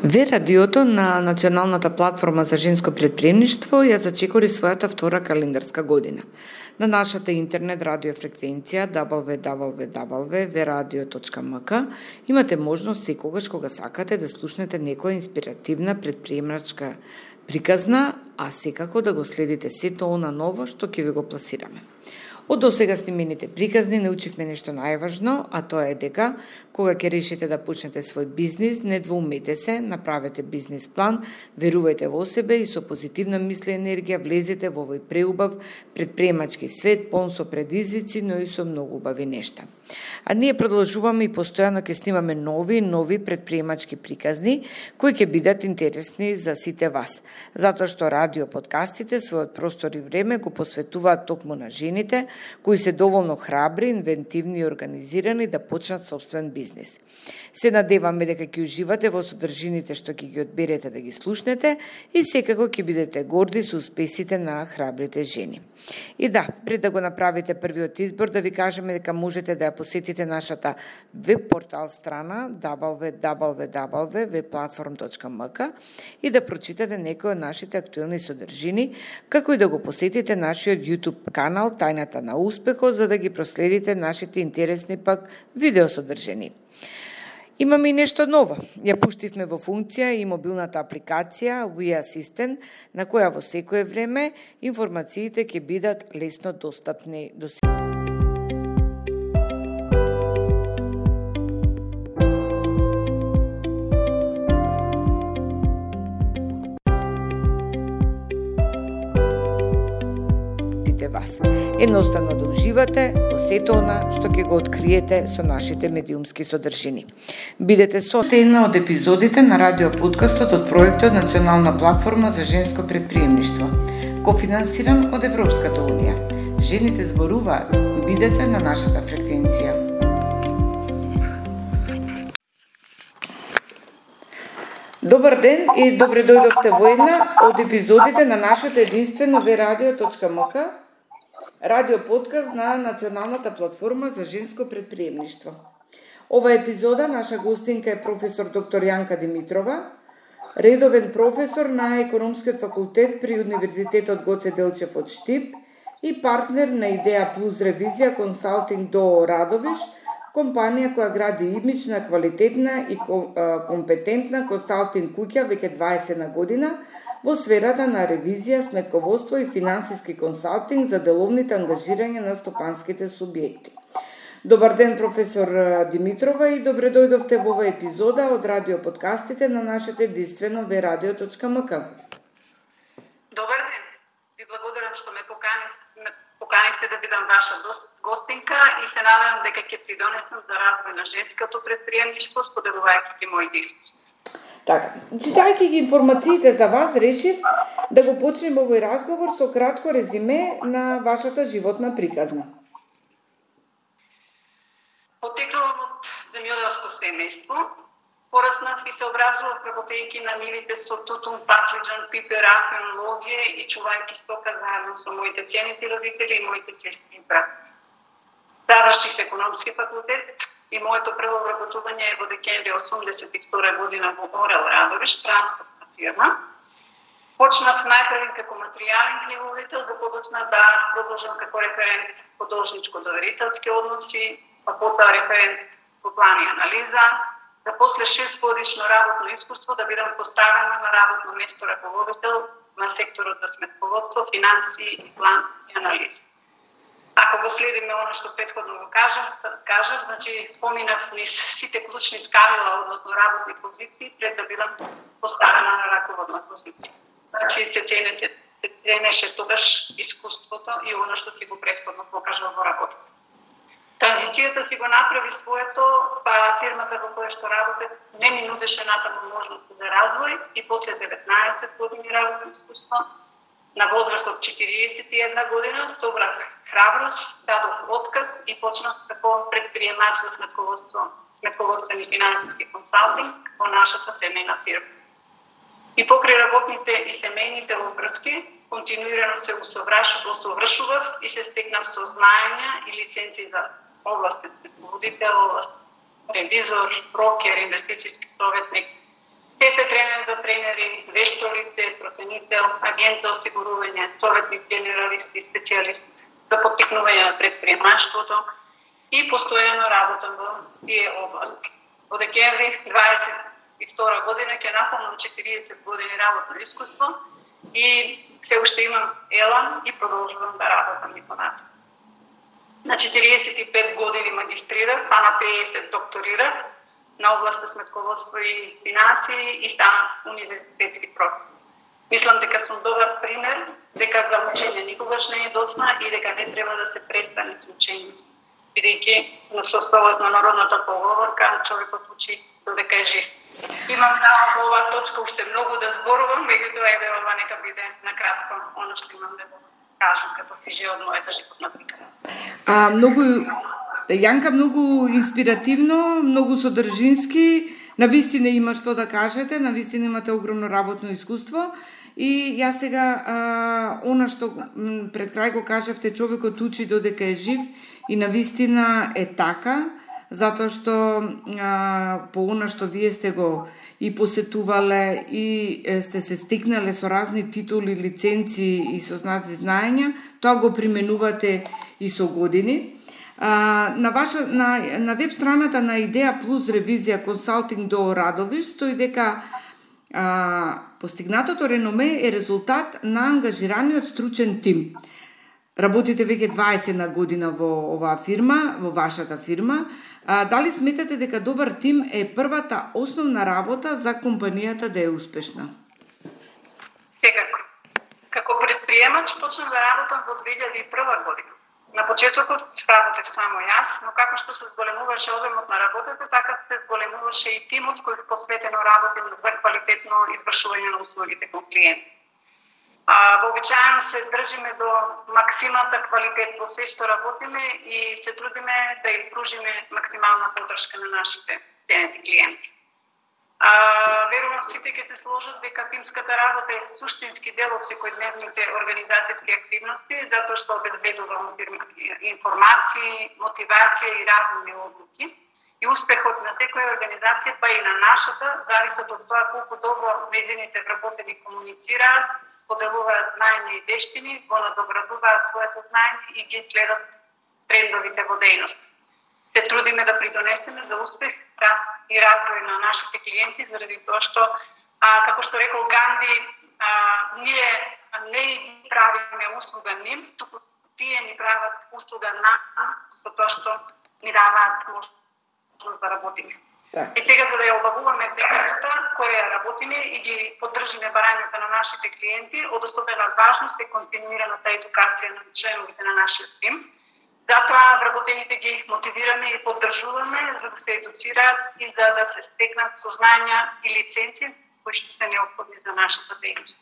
Ве радиото на Националната платформа за женско претприемништво ја зачекори својата втора календарска година. На нашата интернет радиофреквенција www.veradio.mk имате можност секогаш кога сакате да слушнете некоја инспиративна претприемачка приказна, а секако да го следите сето она ново што ќе ви го пласираме. Од досега снимените приказни научивме нешто најважно, а тоа е дека кога ќе решите да почнете свој бизнис, не двоумете се, направете бизнис план, верувајте во себе и со позитивна мисла и енергија влезете во овој преубав претприемачки свет, полн со предизвици, но и со многу убави нешта. А ние продолжуваме и постојано ќе снимаме нови претприемачки приказни кои ќе бидат интересни за сите вас, затоа што радио подкастите својот простор и време го посветуваат токму на жените кои се доволно храбри, инвентивни и организирани да почнат собствен бизнис. Се надеваме дека ќе уживате во содржините што ќе ги одберете да ги слушнете и секако ќе бидете горди со успесите на храбрите жени. И да, пред да го направите првиот избор, да ви кажеме дека можете да ја посетите нашата веб портал страна www.webplatform.mk и да прочитате некои од нашите актуелни содржини, како и да го посетите нашиот YouTube канал Тајната на успехот, за да ги проследите нашите интересни пак видеосодржини. Имаме и нешто ново. Ја пуштивме во функција и мобилната апликација We Assistant, на која во секое време информациите ќе бидат лесно достапни до сите. Вас. Едноставно да уживате во сето она што ќе го откриете со нашите медиумски содржини. Бидете со една од епизодите на радио подкастот од проектот Национална платформа за женско претприемништво, кофинансиран од Европската унија. Жените зборуваат. Бидете на нашата фреквенција. Добар ден и добре дојдовте во една од епизодите на нашето единствено veradio.mk радио подкаст на Националната платформа за женско претприемништво. Ова епизода наша гостинка е професор доктор Јанка Димитрова, редовен професор на Економскиот факултет при Универзитетот Гоце Делчев од Штип и партнер на Идеја Плюс Ревизија Консалтинг ДОО Радовиш, компанија која гради имидж на квалитетна и компетентна консалтинг куќа веќе 20 година во сферата на ревизија, сметководство и финансиски консалтинг за деловните ангажирање на стопанските субјекти. Добар ден, професор Димитрова, и добре дојдовте во оваа епизода од радио подкастите на нашето единствено veradio.mk. Добар ден. Ви благодарам што ме поканихте да бидам ваша гостинка и се надевам дека ќе придонесам за развој на женското претприемништво, споделувајќи ги моите искуства. Така, читајќи ги информациите за вас, решив да го почнем овој разговор со кратко резиме на вашата животна приказна. Потеклувам од земјоделско семејство, пораснав и се образував работејќи на нивите со тутун, патлиџан, пипер, афен, лозје и чувајќи стока заедно со моите ценити родители и моите сестри и брат. Завршив економски факултет и моето прво вработување е во декември 1982 година во Орел Радовиш, транспортна фирма. Почнав најпрвен како материјален книговодител, за подоцна да продолжам како референт по должничко-доверителски односи, па потоа референт по план и анализа, да после 6 годишно работно искуство да бидам поставена на работно место раководител на секторот за сметководство, финанси и план и анализа. Ако го следиме оно што претходно го кажав, значи поминав низ сите клучни скалила, односно работни позиции, пред да бидам поставена на раководна позиција. Значи се ценеше тогаш искуството и оно што си го претходно покажал во работата. Транзицијата си го направи своето, па фирмата во која што работев не ми нудеше натаму можности за развој и после 19 години работно искуство, на возраст од 41 година, собрав храброст, дадов отказ и почнав како претприемач за сметководствен и финансиски консалтинг во нашата семејна фирма. И покрај работните и семејните обврски, континуирано се усовршував и се стекнав со знаења и лиценци за областен сметководител, областен ревизор, брокер, инвестицијски советник, ЦП тренер за тренери, вешто лице, проценител, агент за осигурување, советник, генералист и специјалист за поттикнување на предприемаштвото и постојано работам во тие области. Во декември 22 година ќе наполнам 40 години работно искуство и се уште имам елан и продолжувам да работам и понатаму. На 45 години магистрирав, а на 50 докторирав на областа сметководство и финанси и станав универзитетски професор. Мислам дека сум добар пример, дека за учење никогаш не е досна и дека не треба да се престане со учењето. Бидејќи согласно народната поговорка, човекот учи додека е жив. Имам во оваа точка уште многу да зборувам, меѓутоа еве ова нека биде накратко она што имам да кажам како сиже од мојата животна приказна. Јанка, многу инспиративно, многу содржински, навистина има што да кажете, навистина имате огромно работно искуство и јас сега она што пред крај го кажавте, човекот учи додека е жив и навистина е така, затоа што по она што вие сте го и посетувале и сте се стекнале со разни титули, лиценци и со знаења, тоа го применувате и со години. На веб страната на Идеја Плюс ревизија консалтинг до Радовиш стои дека постигнатото реноме е резултат на ангажираниот стручен тим. Работите веќе 20 година во оваа фирма, во вашата фирма. Дали сметате дека добар тим е првата основна работа за компанијата да е успешна? Секако. Како предприемач почнав да работам во 2001 година. На почетокот работев само јас, но како што се зголемуваше обемот на работата, така се зголемуваше и тимот кој посветено работи за квалитетно извршување на услугите кон клиенти. Вообичаено се држиме до максималната квалитет во се што работиме и се трудиме да им пружиме максимална поддршка на нашите ценети клиенти. Верувам сите ќе се сложат дека тимската работа е суштински дел од секојдневните организацијски активности, затоа што обезбедува информации, мотивација и разумни одлуки. И успехот на секоја организација, па и на нашата, зависат од тоа колку добро нејзините вработени комуницираат, споделуваат знаење и вештини, го надоградуваат своето знаење и ги следат трендовите во дејност. Се трудиме да придонесеме за успех, раст и развој на нашите клиенти, заради тоа што, како што рекол Ганди, ние не правиме услуга ним, туку тие ни прават услуга нам, со тоа што ни даваат можност да работиме. Так. И сега, за да ја обавуваме дејноста која работиме и ги поддржиме барањата на нашите клиенти, од особена важност е континуираната едукација на членовите на нашиот тим. Затоа вработените ги мотивираме и поддржуваме за да се едуцираат и за да се стекнат сознања и лиценци кои што се неопходни за нашата дејност.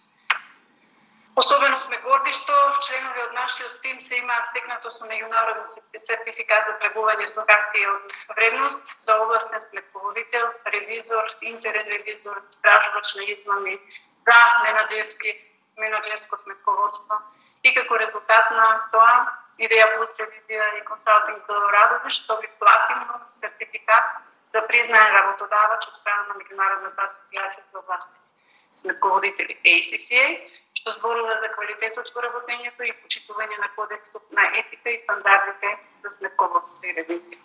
Особено сме горди што членови од нашиот тим се имаат стекнато со меѓународен сертификат за тргување со хартија од вредност за областен сметководител, ревизор, интерен ревизор, стражувач на измами, за менаџерско сметководство. И како резултат на тоа, Идеја Плюс ревизија и консалтинг до Радовиш доби платинов сертификат за признаен работодавач од страна на Меѓународната асоцијација за областни сметководители ACCA, што зборува за квалитетот во работењето и почитување на кодексот на етика и стандардите за сметководство и ревизија.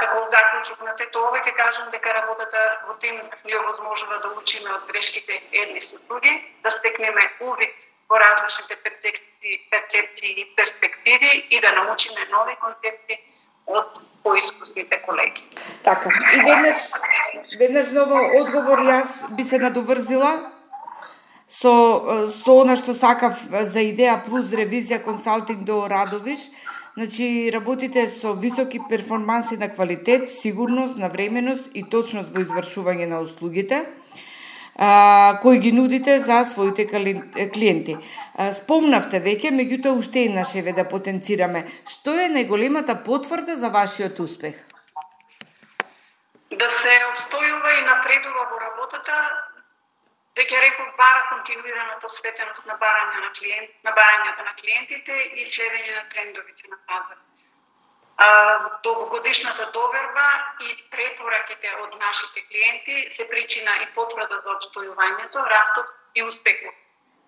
Како заклучок на сето ова ќе кажам дека работата во тим ни овозможува да учиме од грешките едни со други, да стекнеме увид во различните перцепции и перспективи и да научиме нови концепти од поискусните колеги. Така, и веднаш ново одговор јас би се надоврзила со она што сакав за Идеја Плюс ревизија консалтинг до Радовиш. Значи, работите со високи перформанси на квалитет, сигурност, навременост и точност во извршување на услугите, кои ги нудите за своите клиенти. Спомнавте веќе, меѓутоа уште еднаш еве да потенцираме. Што е најголемата потврда за вашиот успех? Да се обстојува и напредува во работата, веќе реков, бара континуирана посветеност на барањата на клиентите и следење на трендовите на пазарот. Долгогодишната доверба и препораките од нашите клиенти се причина и потврда за обстојувањето, растот и успехот.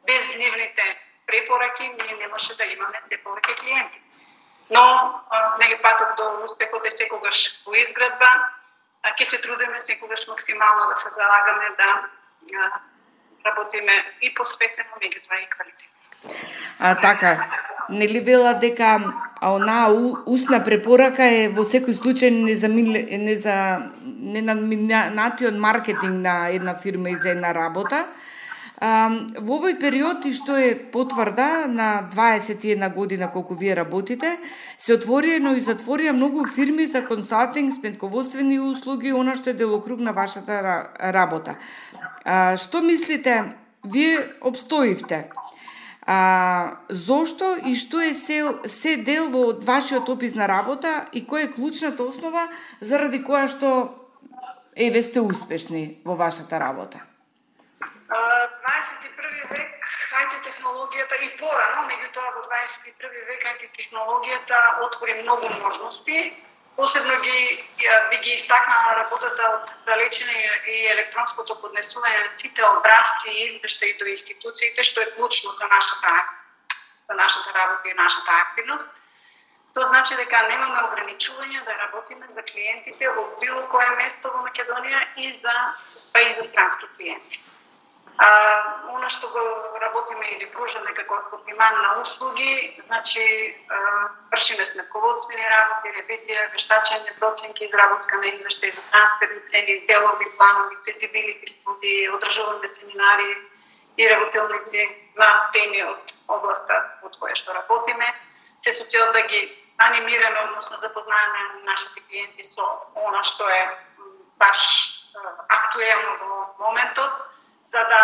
Без нивните препораки ние не може да имаме се повеќе клиенти. Но патот до успехот е секогаш во изградба. Ќе се трудиме секогаш максимално да се залагаме да работиме и посветено, меѓутоа и квалитетно. Така, нели била дека онаа устна препорака е во секој случај ненадминатиот маркетинг на една фирма и за една работа. Во овој период, и што е потврда на 21 година колку вие работите, се отворија и затворија многу фирми за консалтинг, сметководствени услуги, она што е делокруг на вашата работа. Што мислите, вие обстоивте? Зошто и што е се дел од вашиот опис на работа и која е клучната основа заради која што сте успешни во вашата работа? 21 век IT технологијата и порано, меѓутоа во 21 век IT технологијата отвори многу можности. Посебно би ги истакнала работата од далечина и електронското поднесување на сите образци и извештаи до институциите, што е клучно за нашата работа и нашата активност. Тоа значи дека немаме ограничувања да работиме за клиентите од било кое место во Македонија и за странски клиенти. Оно што го работиме или пружаме како асортиман на услуги, значи вршиме сметководствени работи, ревизија, вештачење, проценки, изработка на извештаи за трансферни цени, делови планови, фезибилити студии, одржуваме семинари и работилници на теми од областа од која што работиме, се со цел да ги анимираме, односно запознаеме нашите клиенти со она што е баш актуелно во моментот. За да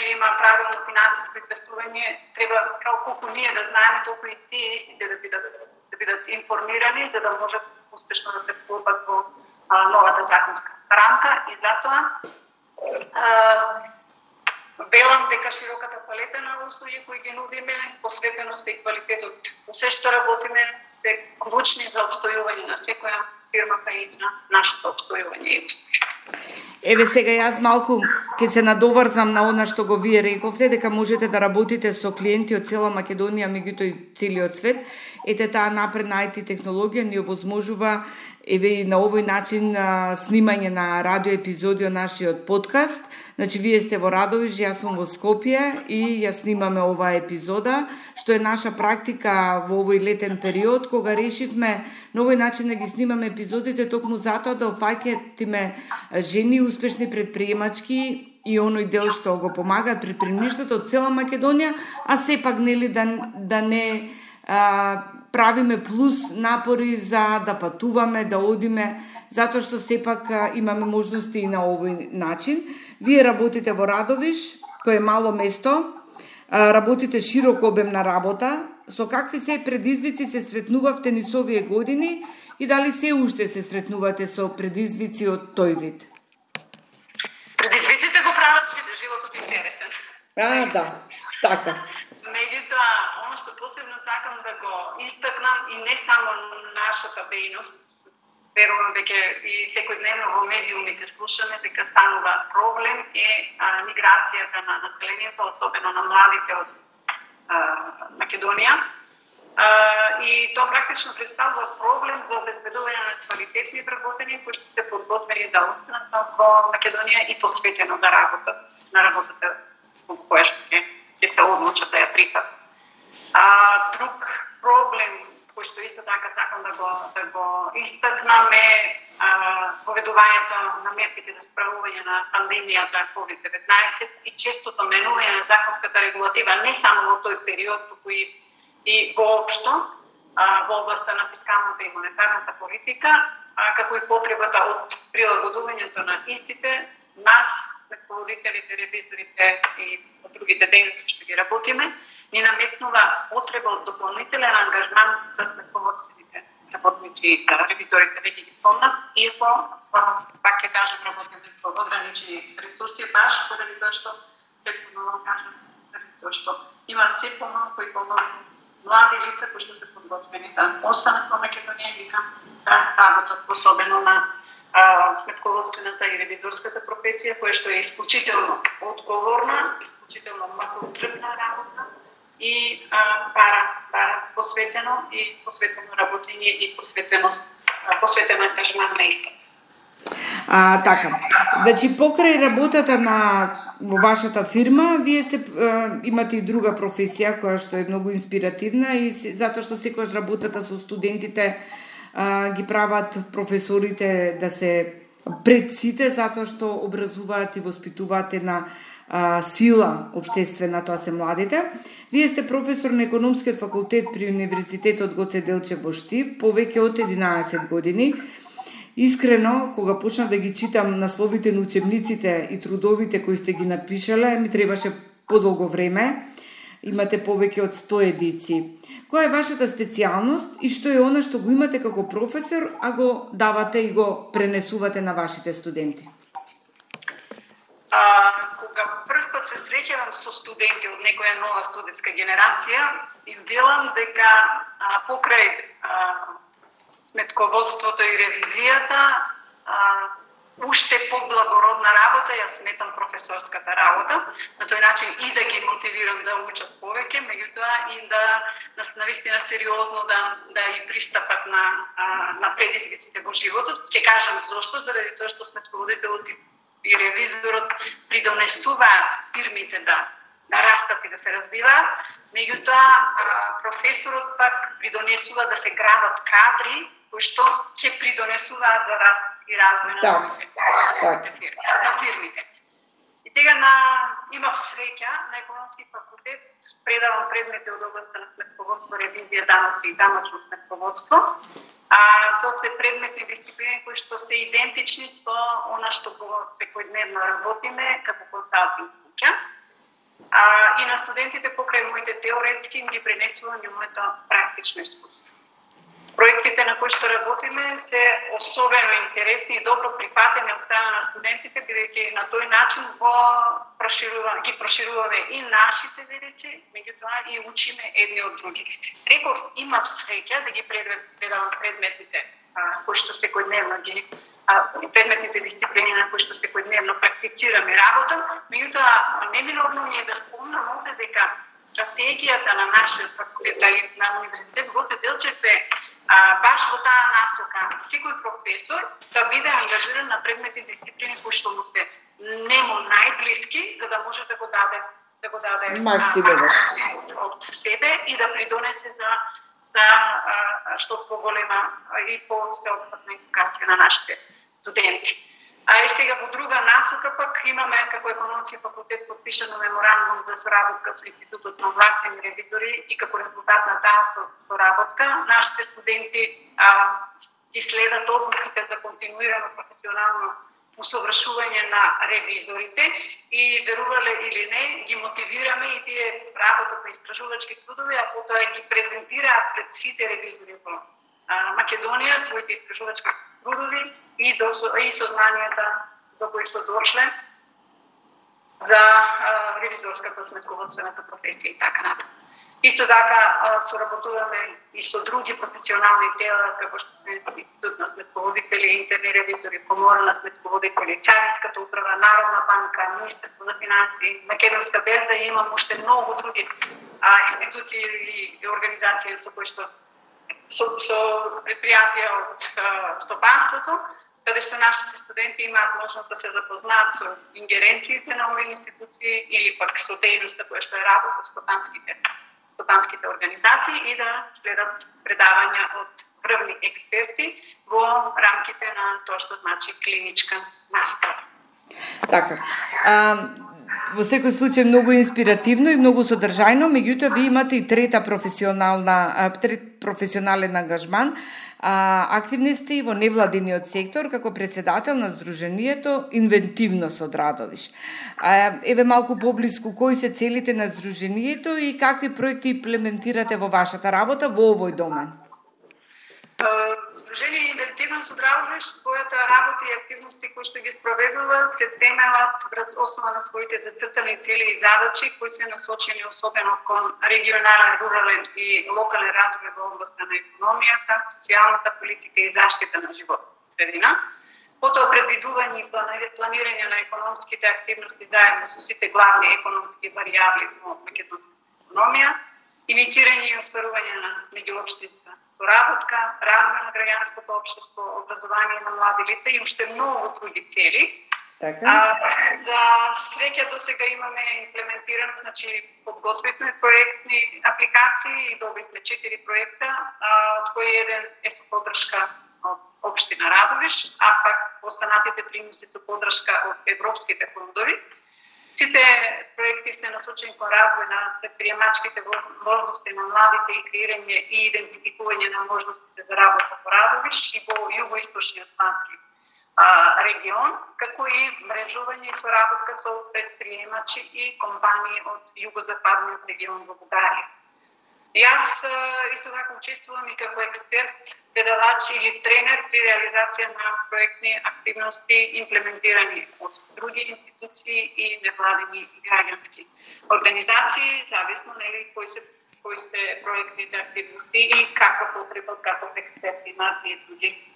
има правилно финансиско известување, треба колку ние да знаеме, толку и тие истите да бидат информирани, за да можат успешно да се вклопат во новата законска рамка. И затоа велам дека широката палета на услуги кои ги нудиме, посветеност и квалитетот во се што работиме, се клучни за обстојување на секоја фирма, па и на нашето обстојување и успех. Сега јас малку ќе се надоврзам на она што го вие рековте, дека можете да работите со клиенти од цела Македонија, меѓутоа и целиот свет. Таа напредна IT технологија ни овозможува и на овој начин снимање на радио епизоди од нашиот подкаст. Значи, вие сте во Радовиш, јас сум во Скопје и ја снимаме оваа епизода, што е наша практика во овој летен период, кога решивме на овој начин да ги снимаме епизодите, токму затоа да опфаќатиме жени успешни предприемачки и оној дел што го помагаат предприемништвото од цела Македонија, а сепак нели да не правиме плюс напори за да патуваме, да одиме, затоа што сепак имаме можности и на овој начин. Вие работите во Радовиш, кој е мало место, работите широк обем на работа. Со какви се предизвици се сретнувавте низ овие години и дали се уште се сретнувате со предизвици од тој вид? Предизвиците го прават животот интересен. Да, така. Меѓутоа, оно што посебно сакам да го истакнам и не само нашата дејност, верувам дека и секојдневно во медиумите слушаме дека станува проблем е миграцијата на населението, особено на младите од Македонија. И тоа практично представува проблем за обезбедување на квалитетни вработени кои што се подготвени да останат во Македонија и посветено да работат на работата во која што ќе се одлучат да ја прифатат. Друг проблем кој што исто така сакам да го истакнам е поведувањето на мерките за справување на пандемијата COVID-19 и честото менување на законската регулатива не само во тој период, туку и воопшто во областа на фискалната и монетарната политика, како и потребата од прилагодувањето на истите, нас, сметководителите, ревизорите и другите дејности што ги работиме, ни наметнува потреба од дополнителен ангажман за сметководствените работници и ревизорите, веќе ги спомнав, иако, пак ќе кажам, работиме со ограничени ресурси, баш поради тоа што, претходно кажам, заради тоа што има се помалку и помалку млади лица кои што се подготвени да останат во Македонија и да работат, особено на сметководствената и ревизорската професија, која што е исклучително одговорна, исклучително мъкотрпна работа и бара посветено работење и посветен ангажман на иста. Така. Значи, покрај работата во вашата фирма, вие имате и друга професија која што е многу инспиративна и затоа што секогаш работата со студентите ги прават професорите да се пред сите, затоа што образуваат и воспитуваат една сила општествена, тоа се младите. Вие сте професор на економскиот факултет при Универзитетот Гоце Делчев во Штип повеќе од 11 години. Искрено, кога почнав да ги читам насловите на учебниците и трудовите кои сте ги напишале, ми требаше подолго време. Имате повеќе од 100 едиции. Која е вашата специјалност и што е она што го имате како професор, а го давате и го пренесувате на вашите студенти? Кога прв пат се среќавам со студенти од некоја нова студентска генерација, им велам дека покрај сметководството и ревизијата, уште поблагородна работа ја сметам професорската работа, на тој начин и да ги мотивирам да учат повеќе, меѓутоа и да навистина сериозно да и пристапат на предизвиците во животот. Ќе кажам зошто, заради тоа што сметководителот и ревизорот придонесуваат фирмите да растат и да се развиваат, меѓутоа професорот пак придонесува да се градат кадри кои што ќе придонесуваат за раст и развој на фирмите. И сега имав среќа на економски факултет, предавам предмети од областта на сметководство, ревизија, даноци и даночно сметководство. Тоа се предметни дисциплини кои што се идентични со она што го секојдневно работиме како консалтинг куќа. И на студентите покрај моите теоретски им ги пренесувам и моето практично искуство. Проектите на кои што работиме се особено интересни и добро прифатени од страна на студентите, бидејќи на тој начин ги прошируваме и нашите верици, меѓутоа и учиме едни од други. Реков, имав среќа да ги предавам предметите кои што секојдневно предметните дисциплини на кои што секојдневно практицираме работа, меѓутоа неминовно ми е да спомнам овде дека стратегијата на нашиот факултет и на Универзитет Гоце Делчев е баш во таа насока секој професор да биде ангажиран на предметни дисциплини кои што му се нему најблиски, за да може да го даде максимум од себе и да придонесе за што поголема и по-сеопфатна едукација на нашите студенти. И сега во друга насока пак имаме како економски факултет подпишано меморандум за соработка со Институтот на овластени ревизори и како резултат на таа соработка нашите студенти ги следат обуките за континуирано професионално усовршување на ревизорите и верувале или не ги мотивираме и тие работат на истражувачки трудови, а потоа ги презентираат пред сите ревизори во Македонија своите истражувачки трудови и сознанијата до кои што дошле за ревизорската сметководствената професија и така натаму. Исто така соработуваме и со други професионални тела, како што е Институт на сметководители, интерни ревизори, Комора на сметководители, Царинската управа, Народна банка, Министерство за финансии, Македонска берза и имам уште многу други институции и организации со кои што со предпријатија од стопанството, каде што нашите студенти имаат можност да се запознаат со ингеренциите на овие институции или пак со дејноста која што е работа од стопанските организации и да следат предавања од врвни експерти во рамките на тоа што значи клиничка настава. Така. Во секој случај многу инспиративно и многу содржајно, меѓутоа ви имате и трет професионален ангажман. Активни сте и во невладиниот сектор како председател на Сдруженијето Инвентивност од Радовиш. Еве малку поблиску кои се целите на Сдруженијето и какви проекти имплементирате во вашата работа во овој домен? Сдружение Инвентивност Универзитетот Радовиш својата работа и активности кои што ги спроведува се темелат врз основа на своите зацртани цели и задачи кои се насочени особено кон регионален, рурален и локален развој во областа на економијата, социјалната политика и заштита на животната средина. Потоа предвидување и планирање на економските активности заедно со сите главни економски варијабли во македонската економија, инициирање и остварување на меѓуопштинска соработка, развој на граѓанското општество, образование на млади лица и уште многу други цели. За среќа до сега имаме имплементирано, подготвивме проектни апликации и добивме 4 проекта, од кои еден е со поддршка од општина Радовиш, а пак останатите 3 се со поддршка од европските фондови. Сите проекти се насочени кон развој на предприемачките можности на младите и креирање и идентификување на можностите за работа во Радовиш и во југоисточниот плански регион, како и мрежување и соработка со предприемачи и компании од југозападниот регион во Бугарија. Јас исто така учествувам и како експерт, предавач или тренер при реализација на проектни активности имплементирани од други институции и невладини и граѓански организации, зависно кои се проектните активности и каква потреба, каков експерт имаат и други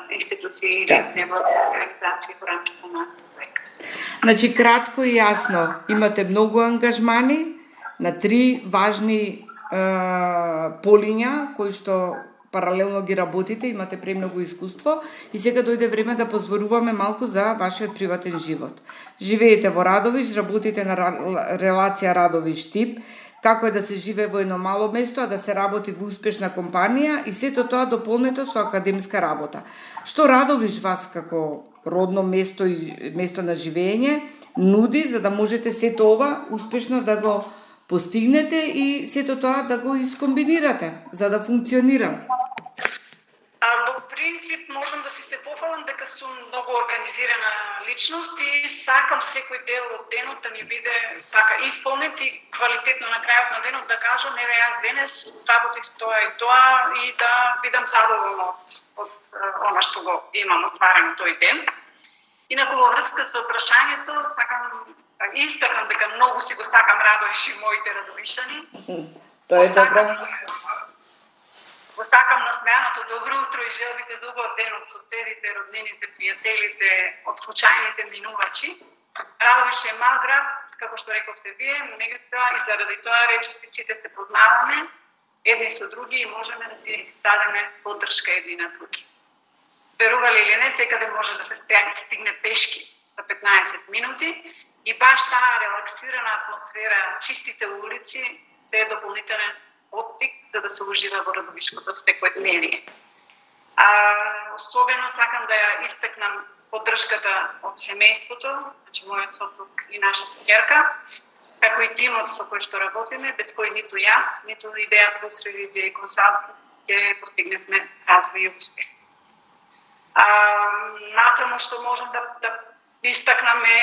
институции или невладини организации во рамките на проект. Значи, кратко и јасно, имате многу ангажмани на 3 важни полиња кои што паралелно ги работите, имате премногу искуство и сега дојде време да позборуваме малку за вашиот приватен живот. Живеете во Радовиш, работите на релација Радовиш-Штип, како е да се живее во едно мало место, а да се работи во успешна компанија и сето тоа дополнето со академска работа. Што Радовиш вас како родно место и место на живење нуди за да можете сето ова успешно да го постигнете и сето тоа да го искомбинирате за да функционира? Во принцип можам да се пофалам дека сум многу организирана личност и сакам секој дел од денот да ми биде така исполнет и квалитетно на крајот на денот да кажам еве јас денес работив тоа и тоа и да бидам задоволна од она што го имам остварено тој ден. Инаку во врска со прашањето сакам истакам дека многу си го сакам Радовиш и моите радовишани. Тоа е добро. Го сакам насмеаното добро утро и желбите за убав ден од соседите, роднините, пријателите, од случајните минувачи. Радовиш е мал град, како што рековте вие, меѓутоа и заради тоа речиси сите се познаваме едни со други и можеме да си дадеме поддршка едни на други. Верували или не, секаде може да се стигне пешки за 15 минути и баш таа релаксирана атмосфера, чистите улици се е дополнителен оттик за да се ужива во радовишкото секојдневие. Особено сакам да ја истакнам поддршката од семејството, значи мојот сопруг и нашата ќерка, како и тимот со кој што работиме, без кој ниту јас, ниту Идеја Плюс ревизија и консалтинг ќе постигневме развој и успех. Натаму што можам да истакнаме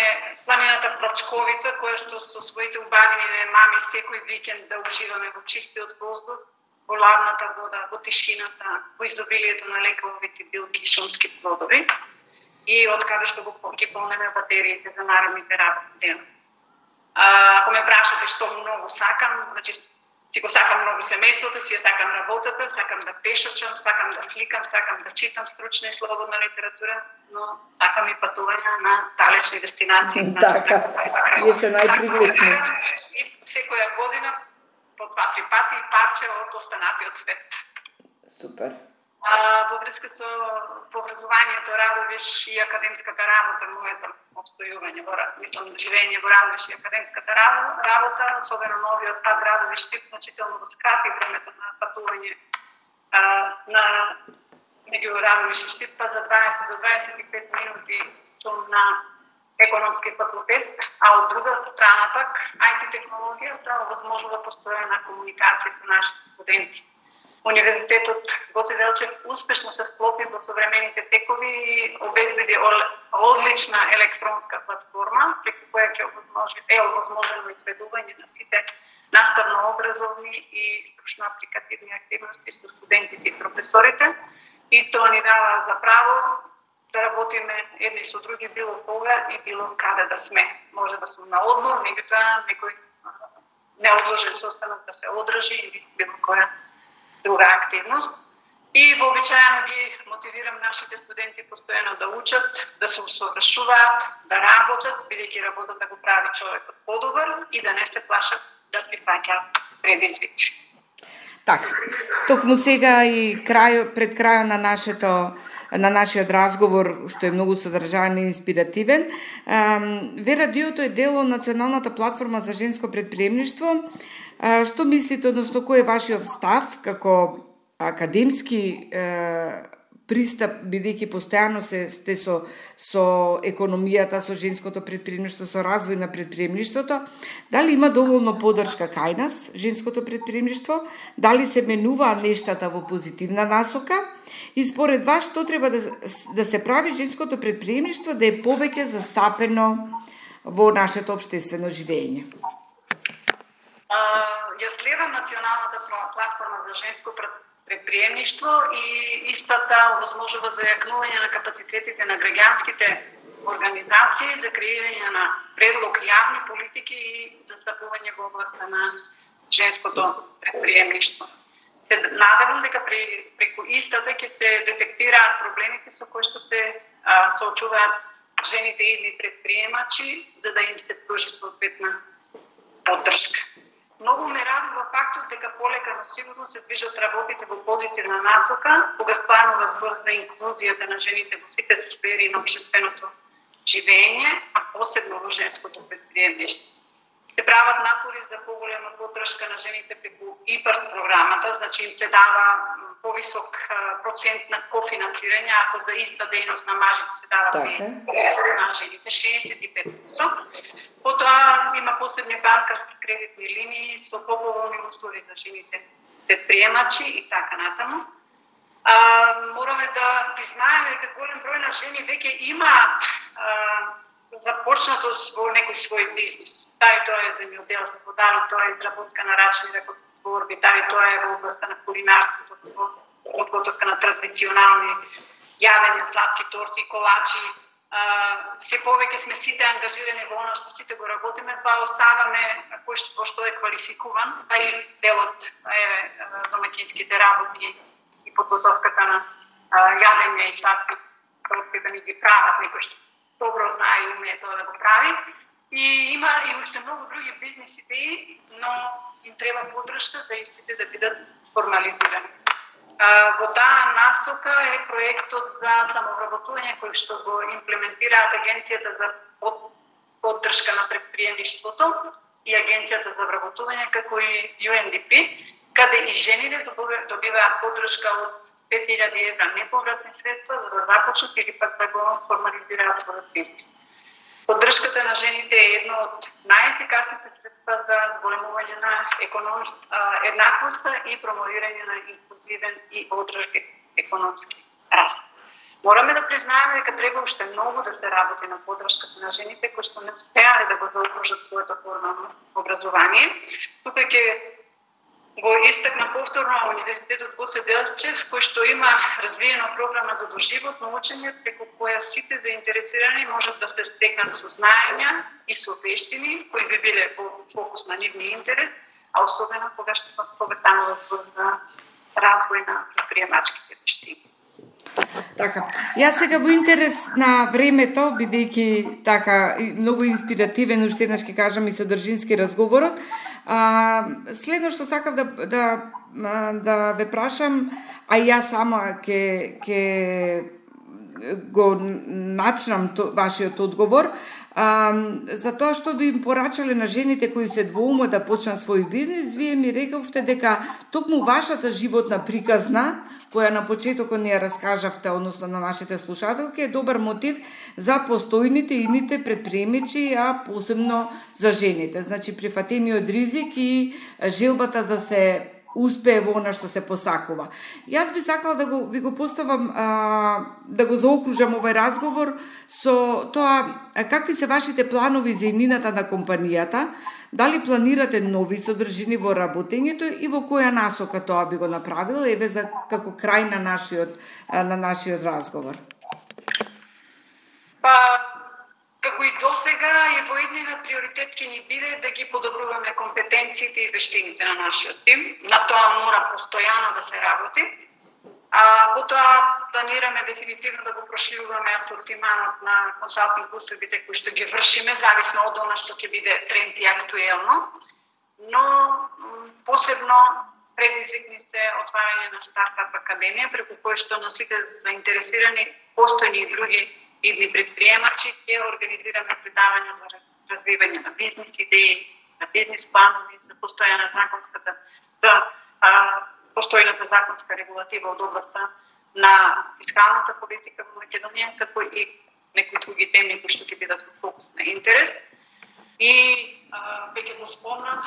планината Плачковица, која што со своите убавини мами секој викенд да уживаме во чистиот воздух, во ладната вода, во тишината, во изобилието на лековите билки и шумски плодови и од каде што ги полнеме батериите за наредните работи. Ако ме прашате што многу сакам, значи си го сакам многу семејството, си ја сакам работата, сакам да пешачам, сакам да сликам, сакам да читам стручна и слободна литература, но сакам и патување на далечни дестинации. Така, тие се најпривлечни. И секоја година по 2-3 пати парче од останатиот свет. Супер. Во врска со образованието Радовиш и академската работа, моето обстојување, мислам, живење во Радовиш и академската работа, особено новиот пат Радовиш-Штип, значително го скрати времето на патување на меѓу Радовиш и Штип, па за 20 до 25 минути сум на економски факултет, а од друга страна пак IT технологијата овозможува постојана комуникација со нашите студенти. Универзитетот Гоце Делчев успешно се вклопи во современите текови и обезбеди одлична електронска платформа, преку која ќе овозможено изведување на сите наставно-образовни и стручно-апликативни активности со студентите и професорите и тоа ни дава за право да работиме едни со други било кога и било каде да сме. Може да сме на одмор, меѓутоа некој неодложен состанок да се одржи или било која друга активност. И вообичаено ги мотивирам нашите студенти постојано да учат, да се усовршуваат, да работат, бидејќи работата да го прави човекот подобар и да не се плашат да прифаќаат предизвици. Така, токму сега и пред крајот на нашиот разговор, што е многу содржаен и инспиративен, ВР-радиото е дел од Националната платформа за женско предприемништво. Што мислите, односно кој е вашиот став како академски пристап, бидејќи постојано сте со економијата, со женското предприемништво, со развој на предприемништвото? Дали има доволно поддршка кај нас, женското предприемништво? Дали се менуваат нештата во позитивна насока? И според вас, што треба да се прави женското предприемништво да е повеќе застапено во нашето општествено живење? Ја следам Националната платформа за женско предприемништво и истата овозможува зајакнување на капацитетите на граѓанските организации за креирање на предлог јавни политики и застапување во областа на женското предприемништво. Се надевам дека преку истата ќе се детектираат проблемите со кои што се соочуваат жените или предприемачи, за да им се пружи соодветна поддршка. Многу ме радува фактот дека полека, но сигурно се движат работите во позитивна насока, кога станува збор за инклузијата на жените во сите сфери на општественото живење, а посебно во женското предприемништво. Се прават напори за поголема поддршка на жените преку ИПАРТ програмата, значи им се дава повисок процент на кофинансирање, ако за иста дејност на мажите се дава 50%, на жените 65%. Потоа има посебни банкарски кредитни линии со поповолни услови за жените предприемачи и така натаму. Мораме да признаеме дека голем број на жени веќе имаат започнато во некој свој бизнес. Дали тоа е земјоделство, дали тоа е изработка на рачни ракотворби, дали тоа е во областта на кулинарството, подготовка на традиционални јадења, сладки торти, колачи. Се повеќе сме сите ангажирани во она што сите го работиме, па оставаме кој што е квалификуван, а и делот е домаќинските работи и подготовката на јадења и сладки торти да ни ги прават некој што добро знае и умее тоа да го прави. И има и уште многу други бизнес идеи, но им треба поддршка за истите да бидат формализирани. Во таа насока е проектот за самовработување кој што го имплементираат Агенцијата за поддршка на предприемништвото и Агенцијата за вработување како и UNDP, каде и жените добиваат поддршка од 5000 евра неповратни средства за да започнат или пак да го формализираат својот бизнес. Поддршката на жените е едно од најефикасните средства за зголемување на еднаквоста и промовирање на инклузивен и одржлив економски раст. Мораме да признаеме дека треба уште многу да се работи на поддршката на жените кои што не успеале да го заокружат своето формално образование. Тука ќе го истакна повторно Универзитетот Гоце Делчев, кој што има развиена програма за доживотно учење, преку која сите заинтересирани можат да се стекнат со знаења и со вештини, кои би биле во фокус на нивни интерес, а особено кога станува збор за развој на предприемачките вештини. Така, јас сега во интерес на времето, бидејќи така многу инспиративен, уште еднаш ќе кажам и содржински разговорот, следно што сакав да ве прашам, а јас сама ќе го начнам вашиот одговор, за тоа што би им порачале на жените кои се двоумат да почнат свој бизнес, вие ми рековте дека токму вашата животна приказна, која на почетокот ни ја раскажавте, односно на нашите слушателки, е добар мотив за постојните ините предприемачи, а посебно за жените. Значи, прифатениот ризик и желбата да се успее во она што се посакува. Јас би сакала да ви го поставам, да го заокружам овој разговор со тоа какви се вашите планови за иднината на компанијата, дали планирате нови содржини во работењето и во која насока тоа би го направила, еве за како крај на нашиот разговор. Па, како и досега, и во иднина приоритет ќе ни биде да ги подобруваме компетенциите и вештините на нашиот тим. На тоа мора постојано да се работи. Потоа планираме дефинитивно да го прошируваме асортиманот на консалтинг услугите кои што ги вршиме, зависно од она што ќе биде тренд и актуелно. Но посебно предизвик ни се отварање на стартап академија, преку кој што на сите заинтересирани постојни и други идни предприемачи ќе организираме предавања за развивање на бизнис идеи, на бизнис планови, за постојната законска регулатива од областта на фискалната политика во Македонија, како и некои други теми кои што ќе бидат во фокус на интерес. И веќе го спомнав,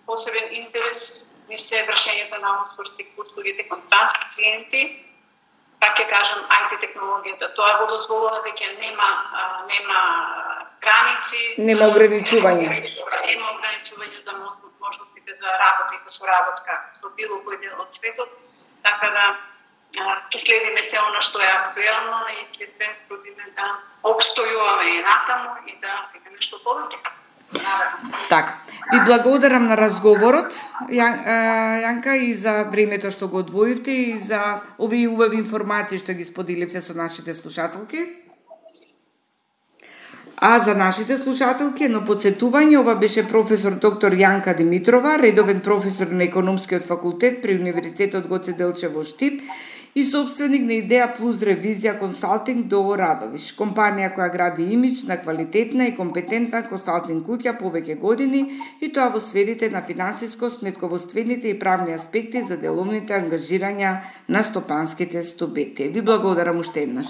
посебен интерес ни се вршењето на аутсорсинг услугите кон странски клиенти. Как ќе кажам, IT технологијата, тоа го дозволува веќе нема граници, нема ограничување. Нема ограничување за можностите за работа и за соработка со било кој дел од светот, така да ќе следиме се она што е актуелно и ќе се трудиме да обстојуваме и натаму и да бидеме што подобри. Така, ви благодарам на разговорот, Јанка, и за времето што го одвоивте и за овие убави информации што ги споделивте со нашите слушателки. А за нашите слушателки, едно подсетување, ова беше професор доктор Јанка Димитрова, редовен професор на Економскиот факултет при Универзитетот Гоце Делчев во Штип и собственик на Идеја Плюс Ревизија Консалтинг до Радовиш, компанија која гради имидж на квалитетна и компетентна консалтинг куќа повеќе години, и тоа во сферите на финансиско, сметководствените и правни аспекти за деловните ангажирања на стопанските субјекти. Ви благодарам уште еднаш.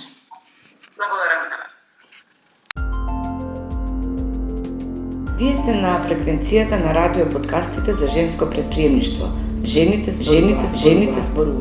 Благодарам и на вас. Вие сте на фреквенцијата на радио подкастите за женско предприемништво. Жените зборуваат.